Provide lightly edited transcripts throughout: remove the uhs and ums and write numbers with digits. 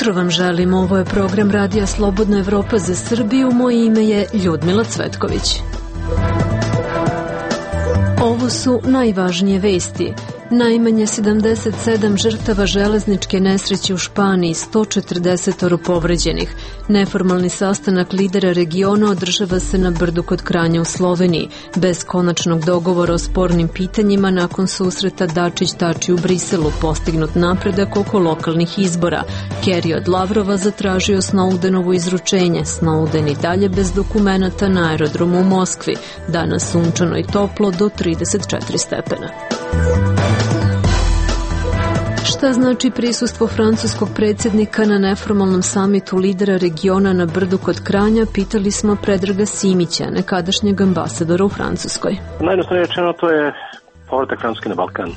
jutro vam želim, ovo je program Radija Slobodna Evropa za Srbiju, moje ime je Ljudmila Cvetković. Ovo su najvažnije vesti. Najmanje 77 žrtava železničke nesreće u Španiji, 140 povređenih. Neformalni sastanak lidera regiona održava se na Brdu kod Kranja u Sloveniji. Bez konačnog dogovora o spornim pitanjima nakon susreta Dačić-Tači u Briselu postignut napredak oko lokalnih izbora. Kerry od Lavrova zatražio Snowdenovo izručenje. Snowden i dalje bez dokumenata na aerodromu u Moskvi. Danas sunčano i toplo do 34 stepena. Šta znači prisustvo francuskog predsjednika na neformalnom samitu lidera regiona na Brdu kod Kranja, pitali smo Predraga Simića, nekadašnjeg ambasadora u Francuskoj. Najjednostavnije rečeno, to je povratak Francuske na Balkan.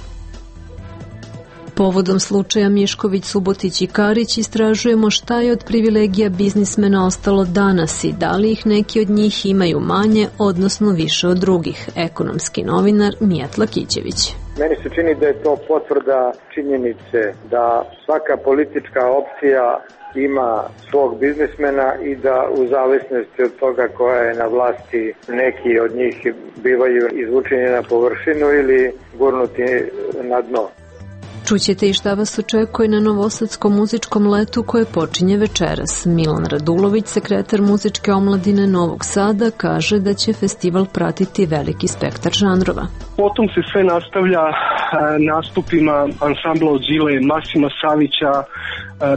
Povodom slučaja Mišković, Subotić i Karić istražujemo šta je od privilegija biznismena ostalo danas i da li ih neki od njih imaju manje, odnosno više od drugih. Ekonomski novinar Mijat Lakićević. Meni se čini da je to potvrda činjenice da svaka politička opcija ima svog biznismena i da u zavisnosti od toga koja je na vlasti neki od njih bivaju izvučeni na površinu ili gurnuti na dno. Čućete i šta vas očekuje na Novosadskom muzičkom letu koje počinje večeras. Milan Radulović, sekretar muzičke omladine Novog Sada, kaže da će festival pratiti veliki spektar žanrova. Potom se sve nastavlja nastupima ansambla od Zile, Masima Savića,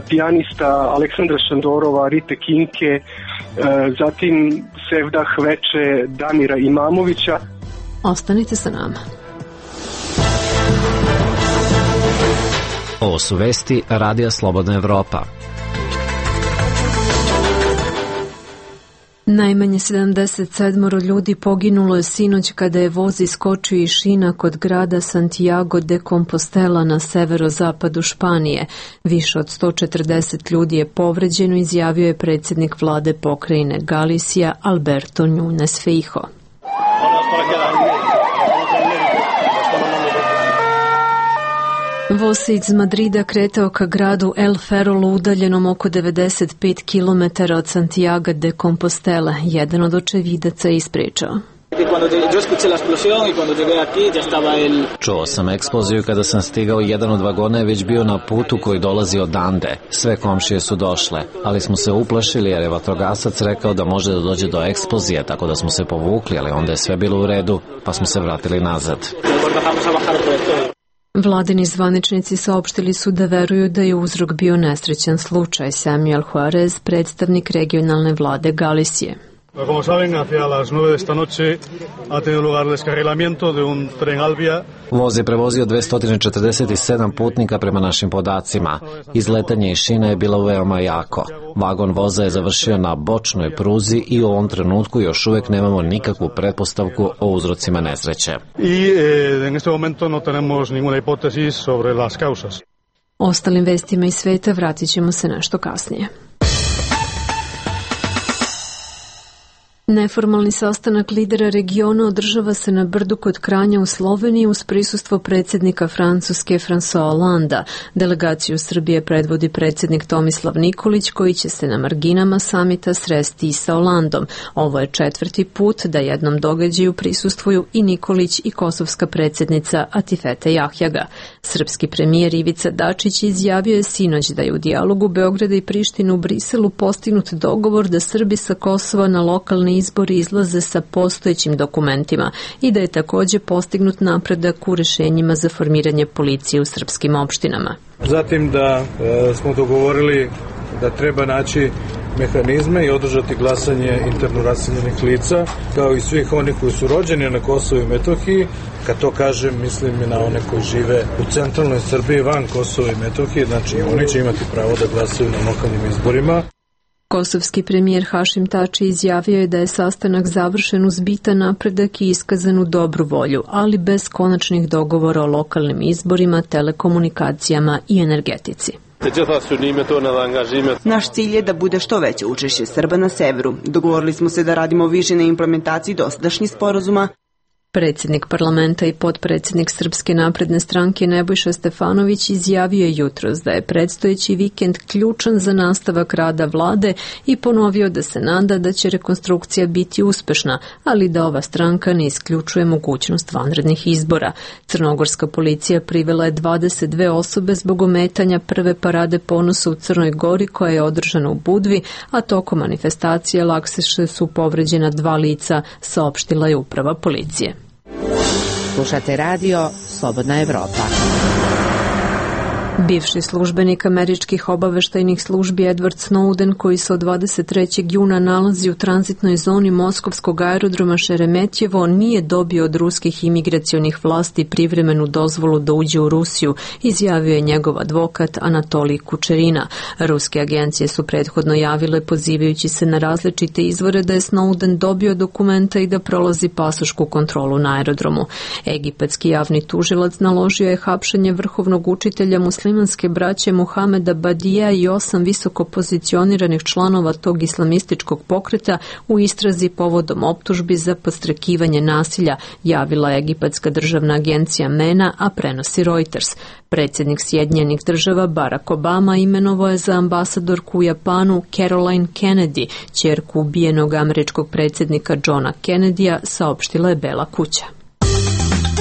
pijanista Aleksandra Šandorova, Rite Kinke, zatim Sevdah Veče, Damira Imamovića. Ostanite sa nama. Ovo su vesti Radija Slobodna Evropa. Najmanje 77 ljudi poginulo je sinoć kada je voz iskočio iz šina kod grada Santiago de Compostela na severozapadu Španije. Više od 140 ljudi je povređeno, izjavio je predsjednik vlade pokrajine Galicija Alberto Núñez Feijóo. Voz se iz Madrida kretao ka gradu El Ferrolu udaljenom oko 95 km od Santiago de Compostela. Jedan od očevidaca je ispričao. Čuo sam eksploziju kada sam stigao, jedan od vagona je već bio na putu koji dolazi od Ande. Sve komšije su došle, ali smo se uplašili jer je vatrogasac rekao da može da dođe do eksplozije, tako da smo se povukli, ali onda je sve bilo u redu, pa smo se vratili nazad. Vladini zvaničnici saopštili su da veruju da je uzrok bio nesrećan slučaj. Samuel Juarez, predstavnik regionalne vlade Galicije. Como saben, hacia las 9 esta noche ha tenido lugar el descarrilamiento de un tren Albia. Voz je prevozio 247 putnika prema našim podacima. Izletanje iz šina je bilo veoma jako. Vagon voza je završio na bočnoj pruzi i u ovom trenutku još uvijek nemamo nikakvu pretpostavku o uzrocima nesreće. Y en este momento no tenemos ninguna hipótesis sobre las causas. Ostalim vestima iz sveta vratit ćemo se nešto kasnije. Neformalni sastanak lidera regiona održava se na Brdu kod Kranja u Sloveniji uz prisustvo predsjednika Francuske François Hollanda. Delegaciju Srbije predvodi predsjednik Tomislav Nikolić koji će se na marginama samita sresti i sa Hollandom. Ovo je 4. put da jednom događaju prisustvuju i Nikolić i kosovska predsjednica Atifete Jahjaga. Srpski premijer Ivica Dačić izjavio je sinoć da je u dijalogu Beograda i Prištine u Briselu postignut dogovor da Srbi sa Kosova na lokalni izbori izlaze sa postojećim dokumentima i da je također postignut napredak u rješenjima za formiranje policije u srpskim opštinama. Zatim da smo dogovorili da treba naći mehanizme i održati glasanje interno raseljenih lica, kao i svih onih koji su rođeni na Kosovu i Metohiji. Kad to kažem, mislim na one koji žive u centralnoj Srbiji van Kosova i Metohije, znači oni će imati pravo da glasaju na lokalnim izborima. Kosovski premijer Hašim Tači izjavio je da je sastanak završen uz bitan napredak i iskazanu dobru volju, ali bez konačnih dogovora o lokalnim izborima, telekomunikacijama i energetici. Naš cilj je da bude što veće učešće Srba na severu. Dogovorili smo se da radimo više na implementaciji dosadašnjih sporazuma Predsjednik parlamenta i potpredsjednik Srpske napredne stranke Nebojša Stefanović izjavio je jutros da je predstojeći vikend ključan za nastavak rada vlade i ponovio da se nada da će rekonstrukcija biti uspešna, ali da ova stranka ne isključuje mogućnost vanrednih izbora. Crnogorska policija privela je 22 osobe zbog ometanja prve parade ponosa u Crnoj Gori koja je održana u Budvi, a tokom manifestacije lakše su povređena 2 lica, saopštila je uprava policije. Slušate radio Slobodna Evropa. Bivši službenik američkih obaveštajnih službi Edward Snowden, koji se od 23. juna nalazi u tranzitnoj zoni moskovskog aerodroma Šeremetjevo, nije dobio od ruskih imigracionih vlasti privremenu dozvolu da uđe u Rusiju, izjavio je njegov advokat Anatolij Kučerina. Ruske agencije su prethodno javile, pozivajući se na različite izvore, da je Snowden dobio dokumenta i da prolazi pasošku kontrolu na aerodromu. Egipatski javni tužilac naložio je hapšenje vrhovnog učitelja muslimanske braće Muhameda Badija i 8 visoko pozicioniranih članova tog islamističkog pokreta u istrazi povodom optužbi za podstrekivanje nasilja, javila je Egipatska državna agencija MENA, a prenosi Reuters. Predsjednik Sjedinjenih država Barack Obama imenovao je za ambasadorku u Japanu Caroline Kennedy, ćerku ubijenog američkog predsjednika Johna Kennedya, saopštila je Bela kuća.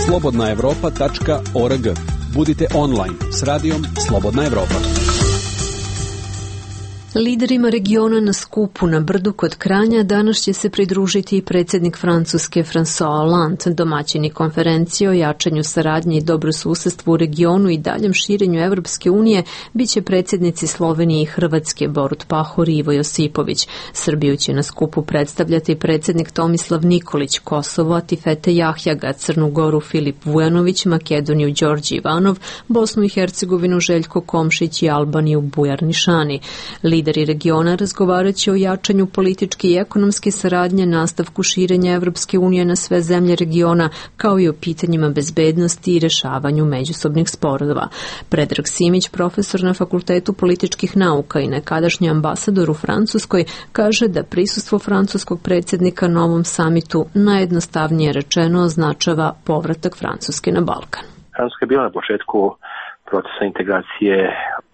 slobodnaevropa.org. Budite online s radijom Slobodna Evropa. Liderima regiona na skupu na brdu kod Kranja danas će se pridružiti i predsjednik Francuske François Hollande. Domaćini konferencije o jačanju saradnje i dobrosusedstvu u regionu i daljem širenju Evropske unije biće predsjednici Slovenije i Hrvatske Borut Pahor i Ivo Josipović. Srbiju će na skupu predstavljati predsjednik Tomislav Nikolić, Kosovo Atifete Jahjaga, Crnu Goru Filip Vujanović, Makedoniju Đorđe Ivanov, Bosnu i Hercegovinu Željko Komšić i Albaniju Bujar Nišani. Lideri regiona razgovaraće o jačanju političke i ekonomske saradnje, nastavku širenja Evropske unije na sve zemlje regiona, kao i o pitanjima bezbednosti i rešavanju međusobnih sporova. Predrag Simić, profesor na Fakultetu političkih nauka i nekadašnji ambasador u Francuskoj, kaže da prisustvo francuskog predsjednika na ovom samitu najjednostavnije rečeno označava povratak Francuske na Balkan. Francuska je bila na početku procesa integracije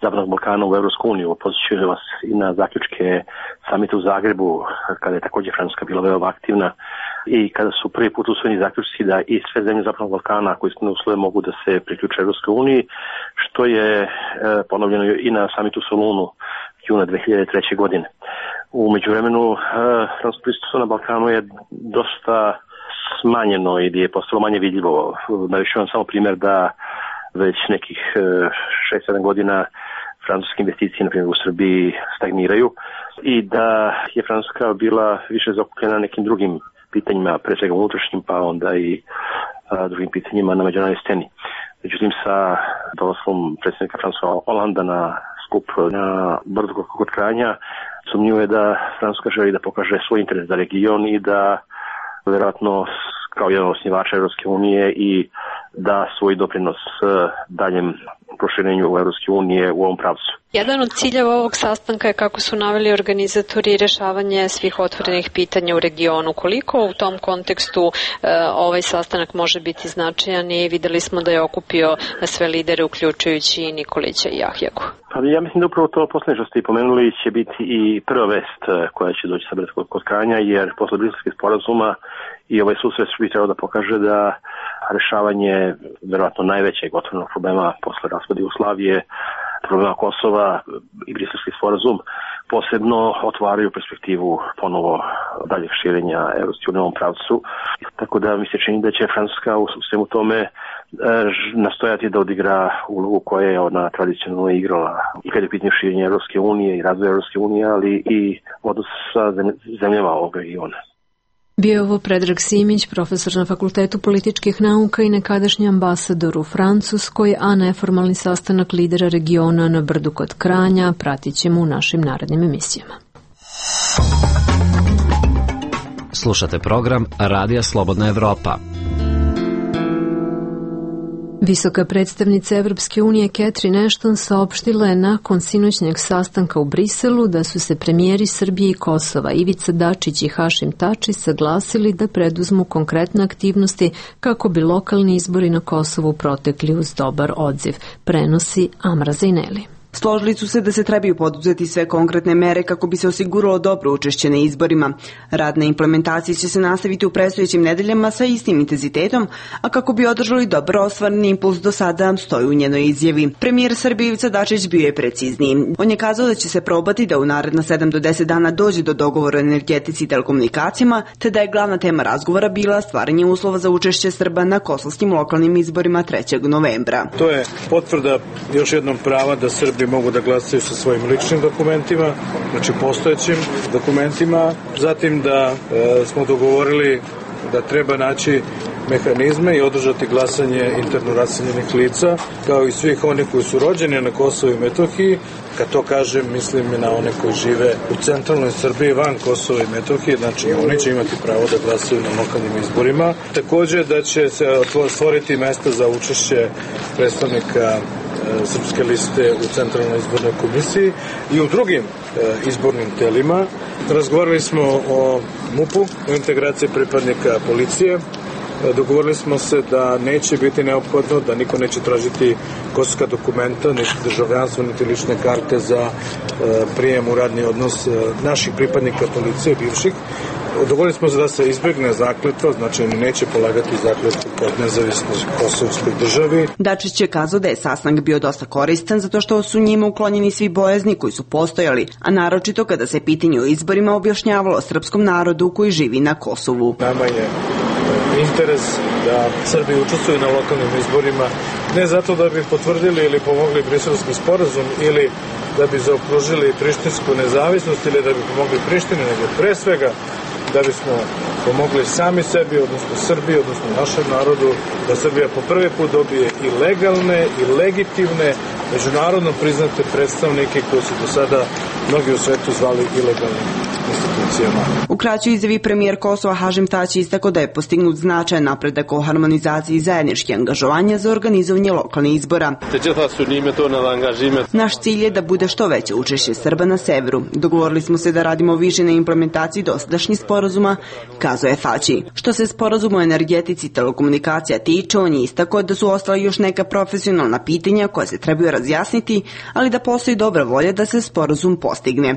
Zapadnog Balkana u Evropsku uniju. Podsjećam vas i na zaključke samita u Zagrebu, kada je također Francuska bila veoma aktivna i kada su prvi put usvojeni zaključci da i sve zemlje Zapadnog Balkana koji ispunjavaju uslove mogu da se priključe Evropskoj uniji, što je ponovljeno i na samitu u Solunu juna 2003. godine. U međuvremenu francusko prisustvo na Balkanu je dosta smanjeno i je postalo manje vidljivo. Navešću vam samo primjer da već nekih 6-7 godina francuske investicije, na primjer u Srbiji, stagniraju i da je Francuska bila više zaokupljena nekim drugim pitanjima, pre svega unutrašnjim, pa onda i drugim pitanjima na međunarodnoj sceni. Međutim, sa dolaskom predsjednika François Hollanda na skup na brdu kod Kranja, sumnjivo je da Francuska želi da pokaže svoj interes za region i da vjerojatno kao jedan osnivača Evropske unije i da svoj doprinos daljem proširenju Evropske unije u ovom pravcu. Jedan od ciljeva ovog sastanka je, kako su naveli organizatori, rješavanje svih otvorenih pitanja u regionu. Koliko u tom kontekstu ovaj sastanak može biti značajan i videli smo da je okupio sve lidere, uključujući i Nikolića i Jahjagu? Pa ja mislim da upravo to posljednje što ste i pomenuli će biti i prva vest koja će doći sa kod Kranja, jer posle Briselskih sporazuma i ovaj susret bi trebao da pokaže da rešavanje verovatno najvećeg otvorenog problema posle raspada Jugoslavije, problema Kosova i Briselski sporazum posebno otvaraju perspektivu ponovo daljeg širenja Evropske unije u ovom pravcu. Tako da mi se čini da će Francuska u svemu tome nastojati da odigra ulogu koje je ona tradicionalno igrala i kada je pitanje širenja Evropske unije i razvoja Evropske unije, ali i odnos sa zemljama ovog regiona. Bio je ovo Predrag Simić, profesor na Fakultetu političkih nauka i nekadašnji ambasador u Francuskoj, a neformalni sastanak lidera regiona na brdu kod Kranja pratit ćemo u našim narednim emisijama. Slušate program Radija Slobodna Evropa. Visoka predstavnica Evropske unije Catherine Ashton saopštila je nakon sinoćnjeg sastanka u Briselu da su se premijeri Srbije i Kosova Ivica Dačić i Hašim Tači saglasili da preduzmu konkretne aktivnosti kako bi lokalni izbori na Kosovu protekli uz dobar odziv, prenosi Amra Zejneli. Složili su se da se trebaju poduzeti sve konkretne mere kako bi se osiguralo dobro učešće na izborima. Rad na implementaciji će se nastaviti u predstojećim nedeljama sa istim intenzitetom, a kako bi održali dobro ostvareni impuls do sada, stoji u njenoj izjavi. Premijer Srbije Ivica Dačić bio je precizniji. On je kazao da će se probati da u naredna 7 do 10 dana dođe do dogovora o energetici i telekomunikacijama, te da je glavna tema razgovora bila stvaranje uslova za učešće Srba na kosovskim lokalnim izborima 3. novembra. To je potvrda još jednom prava da Srbi mogu da glasaju sa svojim ličnim dokumentima, znači postojećim dokumentima. Zatim da smo dogovorili da treba naći mehanizme i održati glasanje interno raseljenih lica, kao i svih onih koji su rođeni na Kosovu i Metohiji. Kad to kažem, mislim na one koji žive u centralnoj Srbiji van Kosova i Metohije, znači oni će imati pravo da glasaju na lokalnim izborima. Takođe da će se stvoriti mesta za učešće predstavnika Srpske liste u Centralnoj izbornoj komisiji i u drugim izbornim telima. Razgovarali smo o MUP-u, o integraciji pripadnika policije. Dogovorili smo se da neće biti neophodno, da niko neće tražiti kosovska dokumenta, niti državljanstvo, niti lične karte za prijem u radni odnos naših pripadnika policije, bivših. Dogovorili smo se da se izbegne zakletva, znači oni neće polagati zakletvu kod nezavisnoj kosovskoj državi. Dačić je kazao da je sastanak bio dosta koristan zato što su njima uklonjeni svi bojazni koji su postojali, a naročito kada se pitanje o izborima objašnjavalo srpskom narodu koji živi na Kosovu. Nama je interes da Srbi učestvuju na lokalnim izborima ne zato da bi potvrdili ili pomogli Briselski sporazum ili da bi zaokružili prištinsku nezavisnost ili da bi pomogli Prištini, nego pre svega da bismo pomogli sami sebi, odnosno Srbiji, odnosno našem narodu, da Srbija po prvi put dobije i legalne i legitimne, međunarodno priznate predstavnike koji su do sada mnogi u svetu zvali ilegalnim institucijama. U kraćoj izjavi premijer Kosova Hašim Tači istakao da je postignut značajan napredak o harmonizaciji zajedničkih angažovanja za organizovanje lokalnih izbora. Naš cilj je da bude što veće učešće Srba na severu. Dogovorili smo se da radimo više na implementaciji dosadašnjih sporazuma, kazao je Tači. Što se sporazuma o energetici i telekomunikacija tiče, on je istakao da su ostala još neka profesionalna pitanja koja se trebaju razjasniti, ali da postoji dobra volja da se sporazum postigne.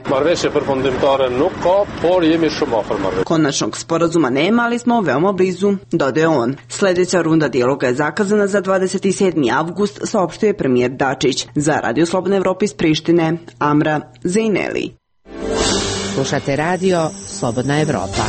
Konačnog sporazuma nema, ali smo veoma blizu, dodaje on. Sljedeća runda dijaloga je zakazana za 27. avgust, saopštio je premijer Dačić. Za Radio Slobodna Evropa iz Prištine, Amra Zejneli. Slušate Radio Slobodna Evropa.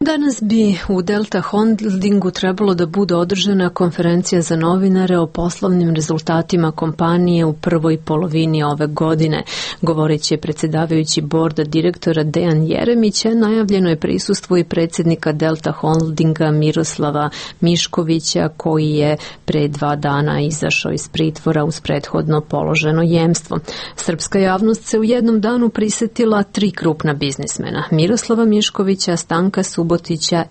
Danas bi u Delta Holdingu trebalo da bude održana konferencija za novinare o poslovnim rezultatima kompanije u prvoj polovini ove godine. Govoreći je predsjedavajući borda direktora Dejan Jeremić, najavljeno je prisustvo i predsjednika Delta Holdinga Miroslava Miškovića, koji je pre 2 dana izašao iz pritvora uz prethodno položeno jemstvo. Srpska javnost se u jednom danu prisetila 3 krupna biznismena: Miroslava Miškovića, Stanka Subotića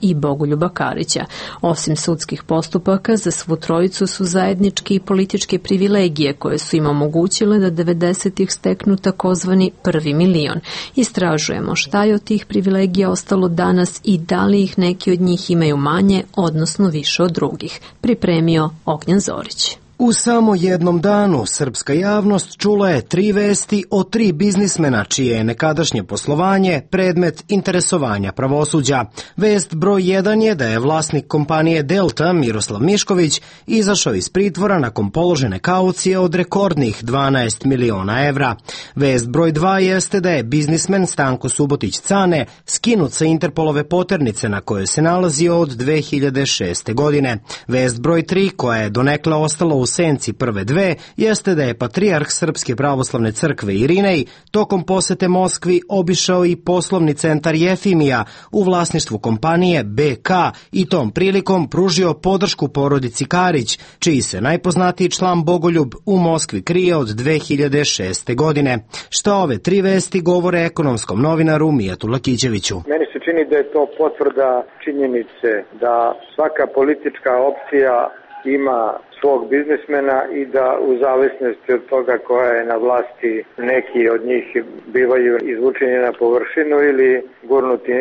i Bogoljuba Karića. Osim sudskih postupaka, za svu trojicu su zajednički i političke privilegije koje su im omogućile da 90-ih steknu takozvani prvi milion. Istražujemo šta je od tih privilegija ostalo danas i da li ih neki od njih imaju manje, odnosno više od drugih. Pripremio Ognjan Zorić. U samo jednom danu srpska javnost čula je 3 vesti o 3 biznismena čije je nekadašnje poslovanje predmet interesovanja pravosuđa. Vest broj 1 je da je vlasnik kompanije Delta Miroslav Mišković izašao iz pritvora nakon položene kaucije od rekordnih 12 miliona evra. Vest broj 2 jeste da je biznismen Stanko Subotić Cane skinut sa Interpolove poternice na kojoj se nalazio od 2006. godine. Vest broj 3, koja je donekle ostala u u senci prve dve jeste da je patrijarh Srpske pravoslavne crkve Irinej tokom posete Moskvi obišao i poslovni centar Jefimija u vlasništvu kompanije BK i tom prilikom pružio podršku porodici Karić, čiji se najpoznatiji član Bogoljub u Moskvi krije od 2006. godine. Šta ove tri vesti govore ekonomskom novinaru Mijatu Lakićeviću? Meni se čini da je to potvrda činjenice da svaka politička opcija ima svog biznismena i da u zavisnosti od toga koja je na vlasti neki od njih bivaju izvučeni na površinu ili gurnuti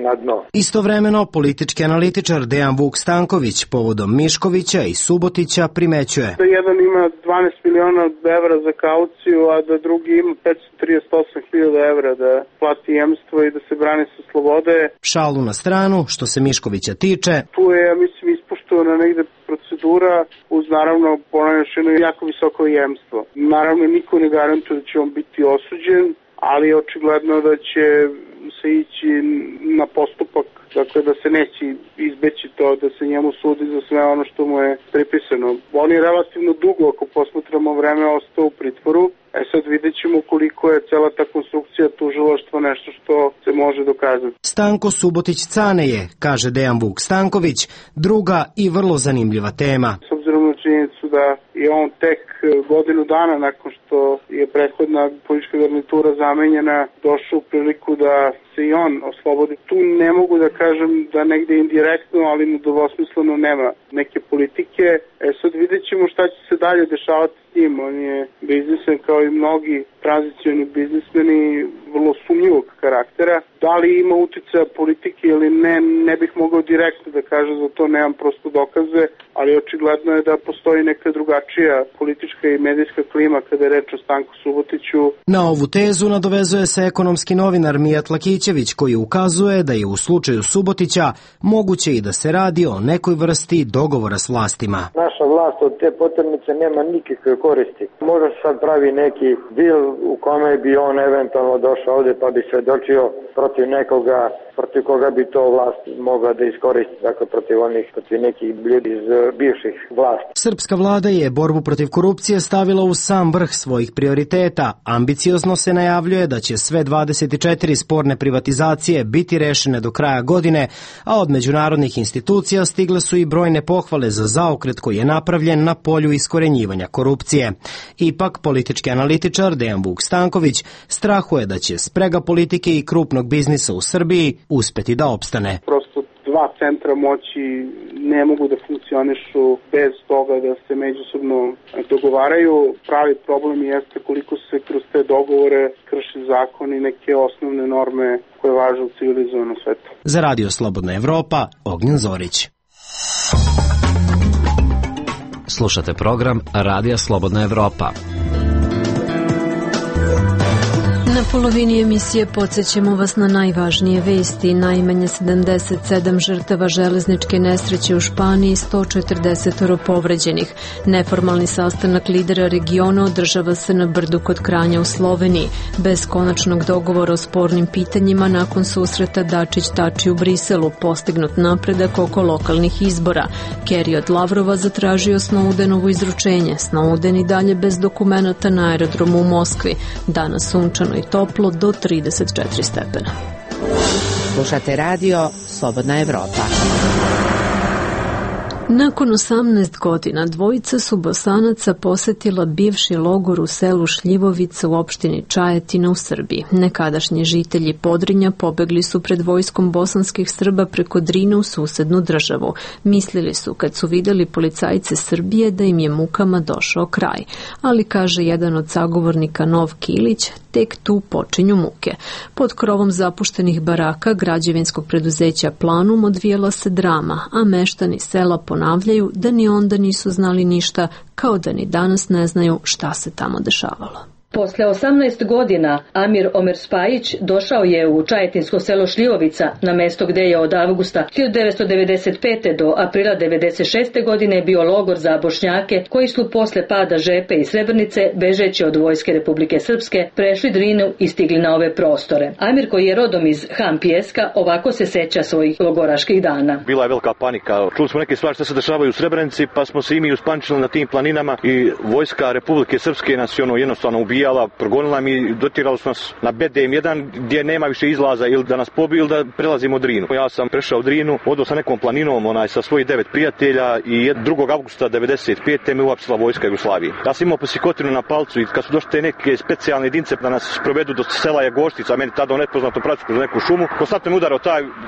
na dno. Istovremeno, politički analitičar Dejan Vuk Stanković povodom Miškovića i Subotića primećuje. Da jedan ima 12 miliona evra za kauciju, a da drugi ima 538.000 evra da plati jemstvo i da se brani sa slobode. Šalu na stranu, što se Miškovića tiče. Tu je, ja mislim, ispoštovana negde procedura uz naravno ponavljeno jako visoko jemstvo. Naravno niko ne garantuje da će on biti osuđen, ali je očigledno da će se ići na postupak, dakle da se neće izbeći to da se njemu sudi za sve ono što mu je pripisano. On je relativno dugo, ako posmatramo vreme, ostao u pritvoru. Sad vidjet ćemo koliko je cela ta konstrukcija tužilaštva nešto što se može dokazati. Stanko Subotić-Cane je, kaže Dejan Vuk Stanković, druga i vrlo zanimljiva tema. S obzirom na činjenicu da je on tek godinu dana nakon što je prethodna politička garnitura zamenjena došao u priliku da se i on oslobodi. Tu ne mogu da kažem da negde indirektno, ali nedvosmisleno nema neke politike. Sad vidjet ćemo šta će se dalje dešavati s njim. On je biznismen kao i mnogi tranzicioni biznismeni vrlo sumnjivog karaktera. Da li ima uticaja politike ili ne, ne bih mogao direktno da kažem, za to nemam prosto dokaze, ali očigledno je da postoji neka drugačija politička i medijska klima kada je reč o Stanku Subotiću. Na ovu tezu nadovezuje se ekonomski novinar Mijat Lakićević, koji ukazuje da je u slučaju Subotića moguće i da se radi o nekoj vrsti dogovora s vlastima. Naša vlast od te poternice nema nikakve koristi. Možda se sad pravi neki dil u kome bi on eventualno došao ovde pa bi svedočio protiv nekoga, protiv koga bi to vlast mogla da iskoristi, dakle protiv nekih ljudi iz bivših vlasti. Srpska vlada je borbu protiv korupcije stavila u sam vrh svojih prioriteta. Ambiciozno se najavljuje da će sve 24 sporne privatizacije biti rešene do kraja godine, a od međunarodnih institucija stigle su i brojne pohvale za zaokret koji je napravljen na polju iskorenjivanja korupcije. Ipak, politički analitičar Dejan Vuk Stanković strahuje da će sprega politike i krupnog biznisa u Srbiji uspeti da opstane. Prosto dva centra moći ne mogu da funkcionišu bez toga da se međusobno dogovaraju. Pravi problem jeste koliko se kroz te dogovore krši zakon i neke osnovne norme koje važe u civilizovanom svetu. Za Radio Slobodna Evropa, Ognjen Zorić. Slušate program Radija Slobodna Evropa. Na polovini emisije podsjećamo vas na najvažnije vesti. Najmanje 77 žrtava železničke nesreće u Španiji, 140 povređenih. Neformalni sastanak lidera regiona održava se na Brdu kod Kranja u Sloveniji. Bez konačnog dogovora o spornim pitanjima nakon susreta Dačić-Tači u Briselu, postignut napredak oko lokalnih izbora. Kerry od Lavrova zatražio Snowdenovo izručenje. Snowden i dalje bez dokumenata na aerodromu u Moskvi. Danas sunčano i toplo do 34 stepena. Slušate radio Slobodna Evropa. Nakon 18 godina dvojica su Bosanaca posetila bivši logor u selu Šljivovica u opštini Čajetina u Srbiji. Nekadašnji žitelji Podrinja pobegli su pred vojskom bosanskih Srba preko Drine u susednu državu. Mislili su kad su videli policajce Srbije da im je mukama došao kraj. Ali, kaže jedan od sagovornika Nov Kilić, tek tu počinju muke. Pod krovom zapuštenih baraka građevinskog preduzeća Planum odvijela se drama, a meštani sela ponavljaju da ni onda nisu znali ništa, kao da ni danas ne znaju šta se tamo dešavalo. Posle 18 godina Amir Omer Spajić došao je u čajetinsko selo Šljivovica, na mesto gde je od avgusta 1995. do aprila 1996. godine bio logor za Bošnjake koji su posle pada Žepe i Srebrnice, bežeći od vojske Republike Srpske, prešli Drinu i stigli na ove prostore. Amir, koji je rodom iz Han Pijeska, ovako se seća svojih logoraških dana. Bila je velika panika. Čuli smo neke stvari što se dešavaju u Srebrenici, pa smo se i mi uspančili na tim planinama i vojska Republike Srpske nas je jednostavno ubijala, progonila mi, dotirali su nas na BDM1 gdje nema više izlaza ili da nas pobiju ili da prelazimo Drinu. Ja sam prešao Drinu, odao sa nekom planinom sa svojih 9 prijatelja i 2. avgusta 1995. me uapsila vojska Jugoslavije. Ja sam imao psihotinu na palcu i kad su došli te neke specijalne jedinice da nas provedu do sela Jagoštica, meni tada u nepoznatom pravcu kroz neku šumu, konstantno me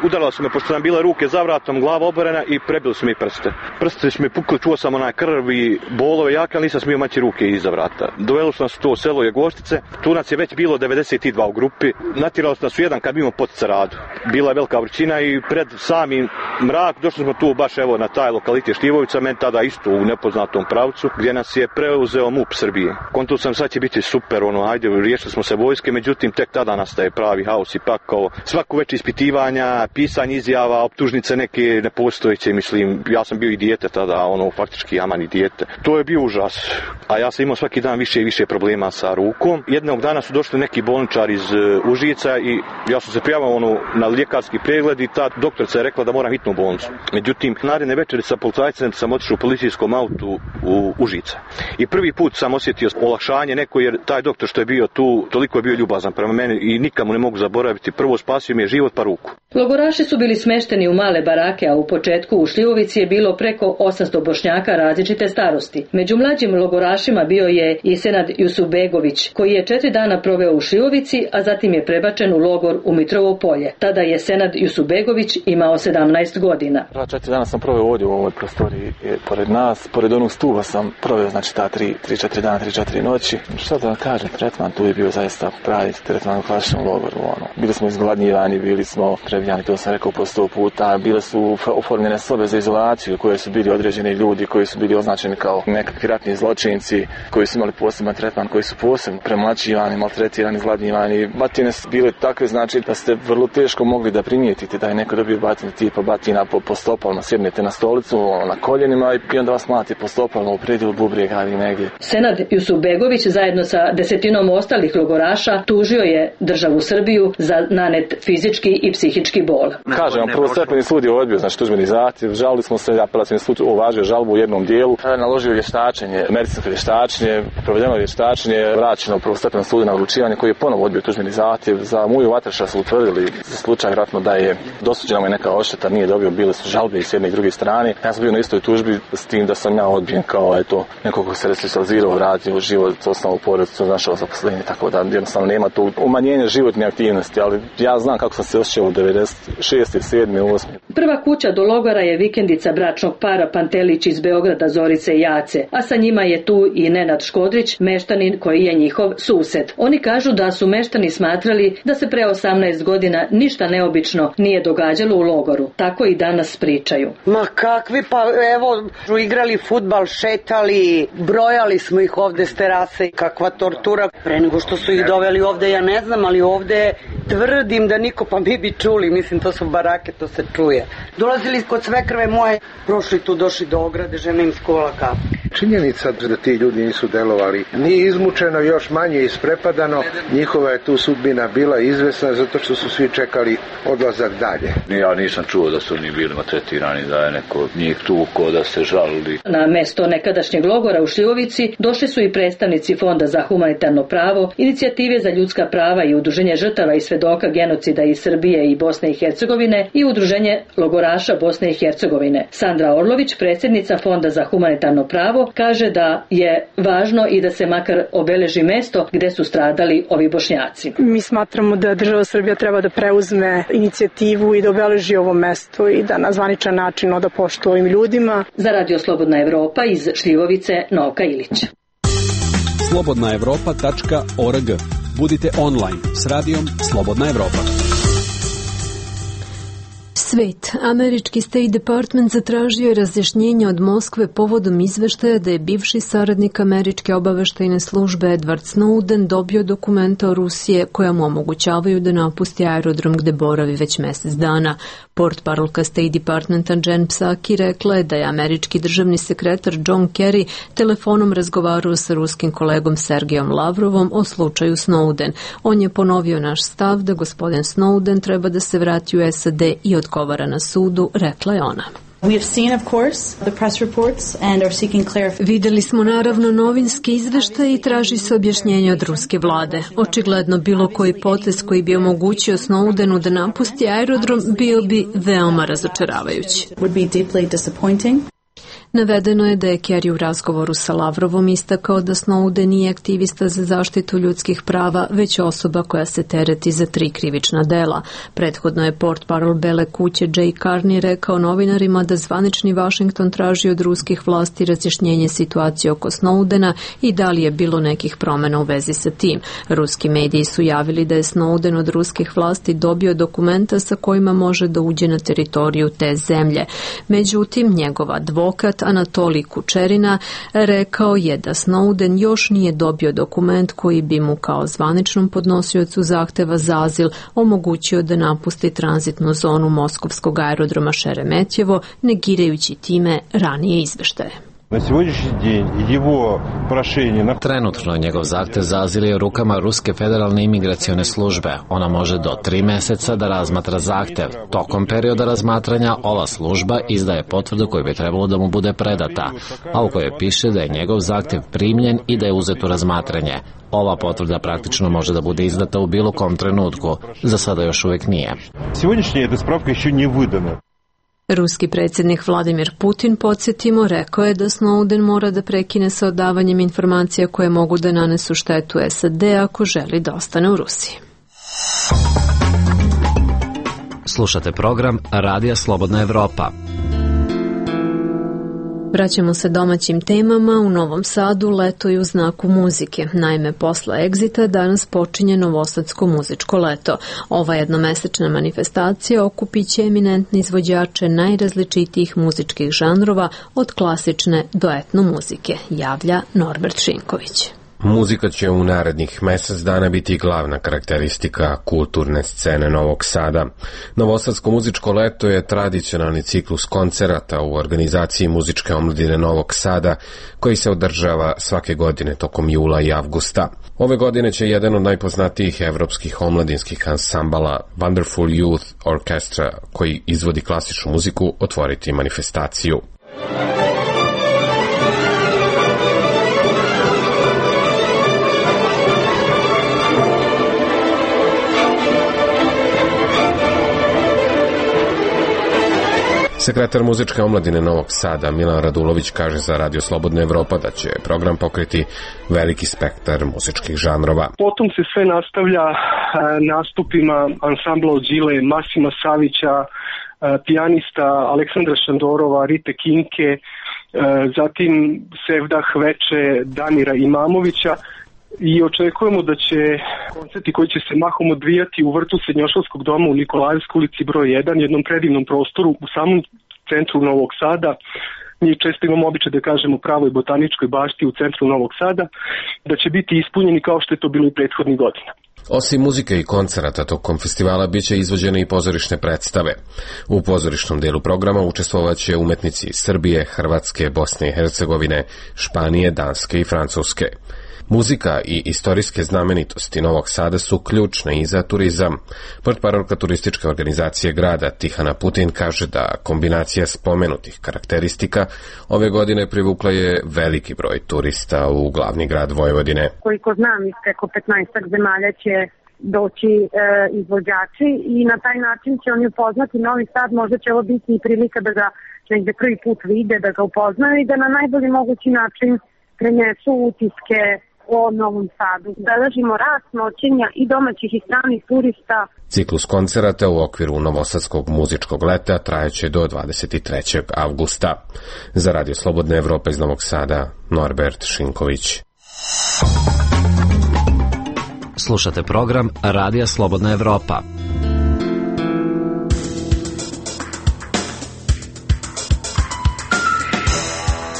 udarala su me pošto sam bile ruke za vratom, glava oborena i prebili su mi prste. Prste su mi pukli, čuo sam krv i bolove jake, ali nisam smio maći ruke iza vrata. Dovelo su nas u to selo Jagoštice, tu nas je već bilo 92 u grupi, natjerali su nas u jedan kamion pod Caradu. Bila je velika vrućina i pred samim mrak došli smo tu baš na taj lokalitet Šljivovica, meni tada isto u nepoznatom pravcu, gdje nas je preuzeo MUP Srbije. Konto sam sad će biti super, ajde, riješili smo se vojske, međutim tek tada nastaje pravi haos i pakao. Svako već ispitivanja, pisanje izjava, optužnice neke nepostojeće, mislim, ja sam bio i dijete tada, faktički amani dijete. To je bio užas, a ja sam imao svaki dan više i više problema sa rukom. Jednog dana su došli neki bolničari iz Užica i ja sam se prijavio na ljekarski pregled i ta doktorica je rekla da moram hitnu bolnicu. Međutim, naredne večeri sa policajcem sam otišao u policijskom autu u Užica. I prvi put sam osjetio olakšanje neko, jer taj doktor što je bio tu, toliko je bio ljubazan prema meni i nikamu ne mogu zaboraviti. Prvo spasio mi je život pa ruku. Logoraši su bili smešteni u male barake, a u početku u Šljivovici je bilo preko 800 Bošnjaka različite starosti. Među mlađim logorašima bio je i Senad Jusufbegović, koji je 4 dana proveo u Šljivovici, a zatim je prebačen u logor u Mitrovo polje. Tada je Senad Jusufbegović imao 17 godina. 4 dana sam proveo ovdje u ovoj prostoriji pored nas, pored onog stuba sam proveo, znači ta 3-4 dana, 3-4 noći. Što da kažem, tretman tu je bio zaista pravi tretman u klasičnom logoru. Bili smo izgladnjivani, bili smo prebijani, to sam rekao po 100 puta, bile su oformljene sobe za izolaciju koje su bili određeni ljudi koji su bili označeni kao nekakvi ratni zločinci, koji su imali poseban tretman, koji su posebno premlaćivani, maltretirani, izgladnjivani. Batine su bile takve, znači da ste vrlo teško mogli da primijetite da je neko dobio batine tipa batina po stopalima, sjednete na stolicu, na koljenima i onda vas mlati po stopalima u predjelu bubrega ili negdje. Senad Jusufbegović zajedno sa 10 ostalih logoraša tužio je državu Srbiju za nanet fizički i psihički bol. Kažem, prvostepeni sud je odbio, znači tužbeni zahtjev, žalili smo se, apelacijski sud uvažio žalbu u jednom dijelu, naložio vještačenje, medicinsko vještačenje, provedeno vještačenje, vraćeno u prvostepenom sudu na odlučivanje koji je ponovo odbio tužbeni zahtjev. Za Muju Vatreša su utvrdili za slučaj vjerojatno da je dosuđena mu je neka odšteta, nije dobio, bile su žalbe i s jedne i druge strane. Ja sam bio na istoj tužbi s tim da sam ja odbijen kao neko ko se resocijalizirao, vratio u život, osnovu porodicu, našao zaposlenje, tako da jednostavno nema tu umanjenje životne aktivnosti, ali ja znam kako sam se osjećao u 96. 7. 8. Prva kuća do logora je vikendica bračnog para Pantelić iz Beograda, Zorice i Jace, a sa njima je tu i Nenad Škodrić, meštanin koji je njihov sused. Oni kažu da su meštani smatrali da se pre 18 godina ništa neobično nije događalo u logoru. Tako i danas pričaju. Ma kakvi, pa evo, igrali fudbal, šetali, brojali smo ih ovde s terase, kakva tortura. Pre nego što su ih doveli ovde, ja ne znam, ali ovde tvrdim da niko, pa mi bi čuli, mislim, to su barake, to se čuje. Dolazili kod svekrve moje, prošli tu, došli do ograde, žena im skola kafu. Činjenica da ti ljudi nisu delovali, nije izmučeno, još manje isprepadano, njihova je tu sudbina bila izvesna zato što su svi čekali odlazak dalje. Ja nisam čuo da su oni bili maltretirani, da je neko njih tuko, da se žalili. Na mesto nekadašnjeg logora u Šljivovici došli su i predstavnici Fonda za humanitarno pravo, Inicijative za ljudska prava i Udruženje žrtava i svedoka genocida iz Srbije i Bosne i Hercegovine i Udruženje logoraša Bosne i Hercegovine. Sandra Orlović, predsjednica Fonda za humanitarno pravo, kaže da je važno i da se makar obeleži mesto gde su stradali ovi Bošnjaci. Mi smatramo da država Srbija treba da preuzme inicijativu i da obeleži ovo mesto i da na zvaničan način oda poštu ovim ljudima. Za Radio Slobodna Evropa iz Šljivovice, Novka Ilić. slobodnaevropa.org. Budite online s radijom Slobodna Evropa. Svet. Američki State Department zatražio je razjašnjenje od Moskve povodom izveštaja da je bivši saradnik američke obaveštajne službe Edward Snowden dobio dokumenta o Rusije koja mu omogućavaju da napusti aerodrom gde boravi već mesec dana. Portparolka State Departmenta Jen Psaki rekla je da je američki državni sekretar John Kerry telefonom razgovarao sa ruskim kolegom Sergejom Lavrovom o slučaju Snowden. On je ponovio naš stav da gospodin Snowden treba da se vrati u SAD i odgovara na sudu, rekla je ona. Videli smo naravno novinski izveštaj i traži se objašnjenje od ruske vlade. Očigledno bilo koji potez koji bi omogućio Snowdenu da napusti aerodrom bio bi veoma razočaravajući. Navedeno je da je Kerry u razgovoru sa Lavrovom istakao da Snowden nije aktivista za zaštitu ljudskih prava, već osoba koja se tereti za 3 krivična dela. Prethodno je portparol Bele kuće Jay Carney rekao novinarima da zvanični Washington traži od ruskih vlasti razjašnjenje situacije oko Snowdena i da li je bilo nekih promena u vezi sa tim. Ruski mediji su javili da je Snowden od ruskih vlasti dobio dokumenta sa kojima može da uđe na teritoriju te zemlje. Međutim, njegov advokat Anatolij Kučerina rekao je da Snowden još nije dobio dokument koji bi mu kao zvaničnom podnosiocu zahteva za azil omogućio da napusti tranzitnu zonu moskovskog aerodroma Šeremetjevo, negirajući time ranije izveštaje. Trenutno njegov zahtev za azil je u rukama Ruske federalne imigracione službe. Ona može do 3 meseca da razmatra zahtev. Tokom perioda razmatranja ova služba izdaje potvrdu koju bi trebalo da mu bude predata, a u kojoj piše da je njegov zahtev primljen i da je uzet u razmatranje. Ova potvrda praktično može da bude izdata u bilo kom trenutku. Za sada još uvijek nije. Ruski predsjednik Vladimir Putin, podsjetimo, rekao je da Snowden mora da prekine sa odavanjem informacija koje mogu da nanesu štetu SAD ako želi da ostane u Rusiji. Slušate program Radija Slobodna Evropa. Vraćamo se domaćim temama. U Novom Sadu leto je u znaku muzike. Naime, posle Exita danas počinje Novosadsko muzičko leto. Ova jednomesečna manifestacija okupiće eminentne izvođače najrazličitijih muzičkih žanrova od klasične do etno muzike, javlja Norbert Šinković. Muzika će u narednih mesec dana biti glavna karakteristika kulturne scene Novog Sada. Novosadsko muzičko leto je tradicionalni ciklus koncerata u organizaciji muzičke omladine Novog Sada, koji se održava svake godine tokom jula i avgusta. Ove godine će jedan od najpoznatijih evropskih omladinskih ansambala Wonderful Youth Orchestra, koji izvodi klasičnu muziku, otvoriti manifestaciju. Sekretar muzičke omladine Novog Sada Milan Radulović kaže za Radio Slobodna Evropa da će program pokriti veliki spektar muzičkih žanrova. Potom se sve nastavlja nastupima ansambla Odžile, Masima Savića, pijanista Aleksandra Šandorova, Rite Kinke, zatim Sevdah Veče, Damira Imamovića. I očekujemo da će koncerti koji će se mahom odvijati u vrtu Srednjoškolskog doma u Nikolajevskoj ulici broj 1, jednom predivnom prostoru u samom centru Novog Sada. Mi često imamo običaj da kažemo pravoj botaničkoj bašti u centru Novog Sada, da će biti ispunjeni kao što je to bilo i prethodnih godina. Osim muzike i koncerata tokom festivala biće izvođene i pozorišne predstave. U pozorišnom delu programa učestvovaće umetnici iz Srbije, Hrvatske, Bosne i Hercegovine, Španije, Danske i Francuske. Muzika i istorijske znamenitosti Novog Sada su ključne i za turizam. Portparolka turističke organizacije grada Tihana Putin kaže da kombinacija spomenutih karakteristika ove godine privukla je veliki broj turista u glavni grad Vojvodine. Koliko znam, preko 15 zemalja će doći izvođači i na taj način će oni upoznati Novi Sad. Možda će ovo biti i prilika da ga negde prvi put vide, da ga upoznaju i da na najbolji mogući način prenesu utiske o Novom Sadu. Beležimo rast noćenja i domaćih i stranih turista. Ciklus koncerata u okviru Novosadskog muzičkog leta trajeće do 23. avgusta. Za Radio Slobodna Evropa iz Novog Sada, Norbert Šinković. Slušate program Radija Slobodna Evropa.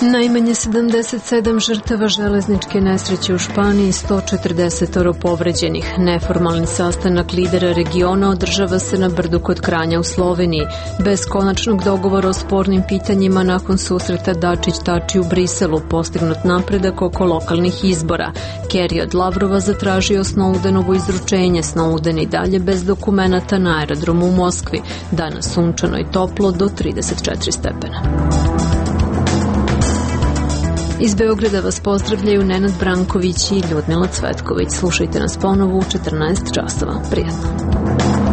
Najmanje 77 žrtava železničke nesreće u Španiji, 140 povređenih. Neformalni sastanak lidera regiona održava se na brdu kod Kranja u Sloveniji. Bez konačnog dogovora o spornim pitanjima nakon susreta Dačić-Tači u Briselu postignut napredak oko lokalnih izbora. Kerry od Lavrova zatražio Snowdenovo izručenje. Snowden i dalje bez dokumenata na aerodromu u Moskvi. Danas sunčano i toplo do 34 stepena. Iz Beograda vas pozdravljaju Nenad Branković i Ljudmila Cvetković. Slušajte nas ponovo u 14 časova. Prijatno.